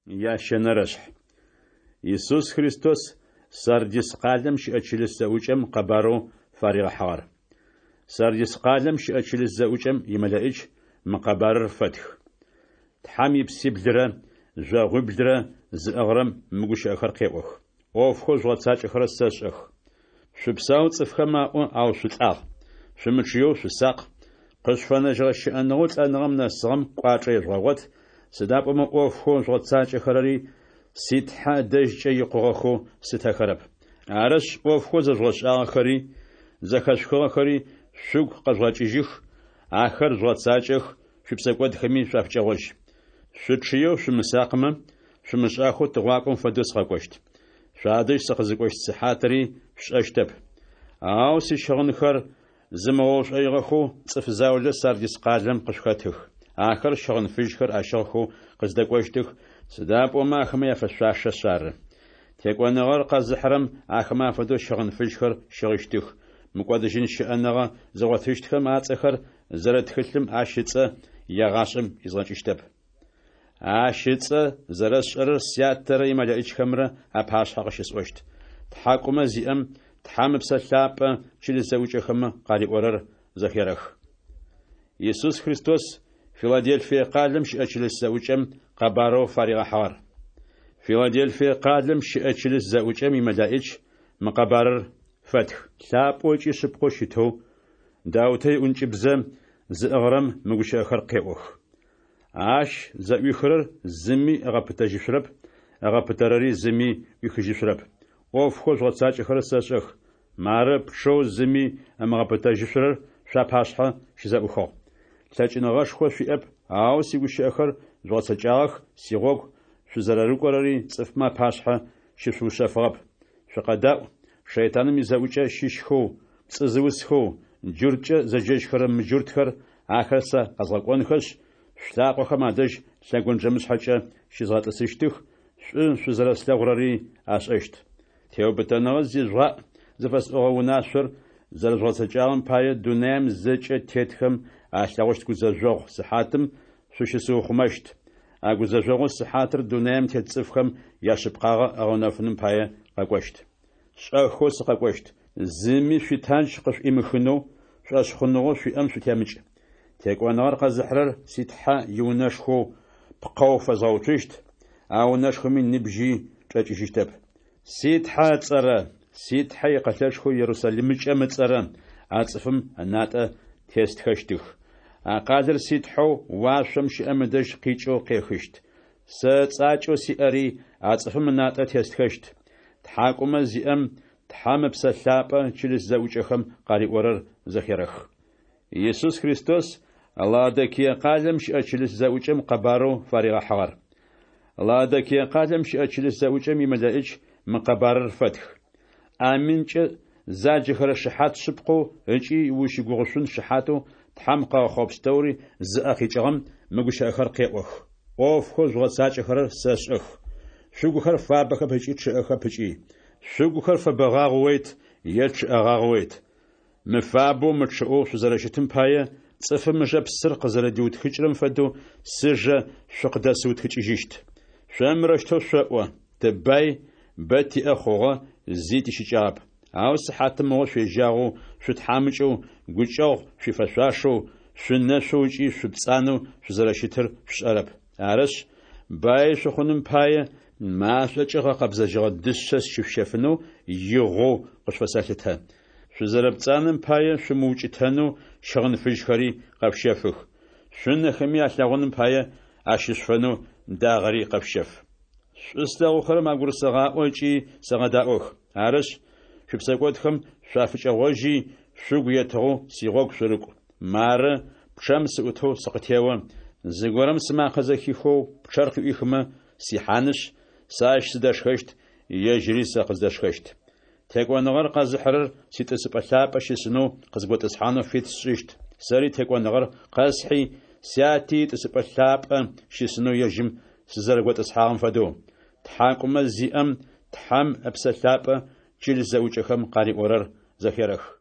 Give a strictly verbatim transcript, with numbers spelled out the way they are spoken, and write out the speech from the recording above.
Ящэнэрэшъхь. Исус Христос Сардис къалэм щыӏэ чылыс зэӏукӏэм къэбарэу фаригъэхьыгъэр. Сардис къалэм щыӏэ чылыс зэӏукӏэм имэлэӏич мы къэбарыр фэтх: Тхьэм ипсиблырэ жъогъуиблырэ зыӏыгъырэм мы гущыӏэхэр къеӏох: ӏофхэу жъугъэцакӏэхэрэр сэшӏэх. Шъупсау цӏыфхэм аӏо, ау шъулӏагъ. Шъумычъыеу шъусакъ, къышъуфэнэжьыгъэ щыӏэныгъэу лӏэныгъэм нэсыгъэм кӏуачӏэ ежъугъэгъот, сыда пӏомэ ӏофхэу жъугъэцакӏэхэрэри си Тхьэ ыдэжькӏэ икъугъэхэу слъытэхэрэп. Арышъ, ӏофхэу зэжъугъэшӏагъэхэри, зэхэшъухыгъэхэри шъугу къэжъугъэкӏыжьых, ахэр жъугъэцакӏэх, шъуипсэкӏодхэми шъуафыкӏэгъожь. Шъучъыеу шъумысакъмэ, шъумышӏахэу тыгъуакӏом фэдэу сыкъэкӏощт. Шъуадэжь сыкъызыкӏощт сыхьатри шъушӏэщтэп. Ау сищыгъынхэр зымыгъэушӏоигъэхэу цӏыф заулэ Сардис къалэм къышъухэтых. Ахэр щыгъын фыжьхэр ащыгъхэу къыздэкӏощтых, сыда пӏомэ ахэмэ яфэшъуашэшъ ары. Текӏоныгъэр къэзыхьырэм ахэмэ афэдэу щыгъын фыжьхэр щыгъыщтых, мыкӏодыжьын щыӏэныгъэ зыгъотыщтхэм ацӏэхэр зэрыт тхылъым ащ ыцӏэ егъашӏэм изгъэкӏыщтэп. Ащ ыцӏэ зэрэсшӏэрэр Сятэрэ имэлэӏичхэмрэ апашъхьэ къыщысӏощт. Тхьакӏумэ зиӏэм Тхьэм Ыпсэ Лъапӏэ чылыс зэӏукӏэхэмэ къариӏорэр зэхерэх. Исус Христос Филаделфие къалэм щыӏэ чылыс зэӏукӏэм къэбарэу фаригъэхьыгъэр. Филаделфие къалэм щыӏэ чылыс зэӏукӏэм имэлэӏич мы къэбарыр фэтх: Лъапӏэу ыкӏи шъыпкъэу щытэу, Даутэ иӏункӏыбзэ зыӏыгъырэм мы гущыӏэхэр къеӏох. Ащ зэӏуихырэр зыми ыгъэпытэжьышъурэп, ыгъэпытэрэри зыми ӏуихыжьышъурэп. ӏофхэу жъугъэцакӏэхэрэр сэшӏэх. Мары, пчъэу зыми ымыгъэпытэжьышъурэр шъуапашъхьэ щызэӏухыгъ. Лъэкӏыныгъэшхо шъуиӏэп, ау сигущыӏэхэр жъугъэцэкӏагъэх, сигъогу шъузэрэрыкӏорэри цӏыфмэ апашъхьэ щышъуушъэфыгъэп. Шъукъэдаӏу, шэйтаным изэӏукӏэ щыщхэу, пцӏы зыусхэу, джурткӏэ зэджэжьхэрэ мыджуртхэр, ахэр сэ къэзгъэкӏонхэшъ, шъулъакъохэм адэжь лъэгонджэмышъхьэкӏэ щызгъэтӏысыщтых, шӏу шъузэрэслъэгъурэри ашӏэщт. Теубытэныгъэ зижъугъаӏ зыфэсӏогъэ унашъор зэрэжъугъэцэкӏагъэм пае дунаим зэкӏэ тетхэм алъэгъущт гузэжъогъу сыхьатым шъущысыухъумэщт. А гузэжъогъу сыхьатыр дунаим тет цӏыфхэм яшъыпкъагъэ ыгъэнэфыным пае къэкӏощт. Шӏэхэу сыкъэкӏощт. Зыми шъуитандж къышъуӏимыхынэу, шӏошъхъуныгъэу шъуиӏэм шъутемыкӏ. Текӏоныгъэр къэзыхьырэр си Тхьэ иунэшхоу пкъэу фэзгъэуцущт, а унэшхоми ныбжьи чӏэкӏыжьыщтэп. Си Тхьэ ыцӏэрэ, си Тхьэ икъэлэшхоу Ерусалимыкӏэм ыцӏэрэ а цӏыфым ынатӏэ тестхэщтых. А къалэр си Тхьэу уашъом щыӏэм ыдэжь къикӏэу къехыщт. Сэ ыцӏакӏэу сиӏэри а цӏыфым ынатӏэ тестхэщт. Тхьакӏумэ зиӏэм Тхьэм Ыпсэ Лъапӏэ чылыс зэӏукӏэхэм къариӏорэр зэхерэх. Исус Христос Лаодикие къалэм щыӏэ чылыс зэӏукӏэм къэбарэу фаригъэхьыгъэр. Лаодикие къалэм щыӏэ чылыс зэӏукӏэм имэлэӏич мы къэбарыр фэтх: Аминкӏэ заджэхэрэ шыхьат шъыпкъэу ыкӏи узщыгугъышъун шыхьатэу Тхьэм къыгъэхъугъэ пстэури зыӏэ къикӏыгъэм мы гущыӏэхэр къеӏох: ӏофхэу жъугъэцакӏэхэрэр сэшӏэх. Шъугухэр фабэхэп ыкӏи чъыӏэхэп ыкӏи. Шъугухэр фэбэгъагъэойт е чъыӏэгъагъэойт. Мыфабэу мычъыӏэу шъузэрэщытым пае, цӏыфым ыжэ псыр къызэрэдиутхыкӏырэм фэдэу сыжэ шъукъыдэсыутхыкӏыжьыщт. Шъо мырэущтэу шъоӏо: «Тыбай, бэ тиӏэ хъугъэ, зи тищыкӏагъэп». Ау сыхьатымыгъо шъуежьагъэу, шъутхьамыкӏэу, гукӏэгъу шъуифэшъуашэу, шъунэшъоу ыкӏи шъупцӏанэу шъузэрэщытыр шъушӏэрэп. Арышъ, баи шъухъуным пае, машӏокӏэ гъэкъэбзэжьыгъэ дышъэ сщышъущэфынэу игъоу къышъуфэсэлъытэ. Шъузэрэпцӏанэм пае шъумыукӏытэнэу щыгъын фыжьхэри къэшъущэфых. Шъунэхэми алъэгъуным пае ащышъуфэнэу дагъэри къэшъущэф. Шӏу слъэгъухэрэм агурысэгъаӏо ыкӏи сэгъэдаӏох. Арышъ, шъуипсэкӏодхэм шъуафыкӏэгъожьи, шъугу етыгъэу сигъогу шъурыкӏу. Мары, пчъэм сыӏутэу сыкъытео. Зыгорэм сымакъэ зэхихэу пчъэр къыӏуихымэ, сихьанышъ, сэ ащ сыдэшхэщт, ежьыри сэ къыздэшхэщт. Текӏоныгъэр къэзыхьырэр ситӏысыпӏэ лъапӏэ щысынэу къызготӏысхьанэу фит сшӏыщт, сэри текӏоныгъэр къэсхьи, Сяти итӏысыпӏэ лъапӏэ щысынэу ежьым сызэрэготӏысхьагъэм фэдэу. Тхьакӏумэ зиӏэм Тхьэм Ыпсэ Лъапӏэ чылыс зэӏукӏэхэм къариӏорэр зэхерэх.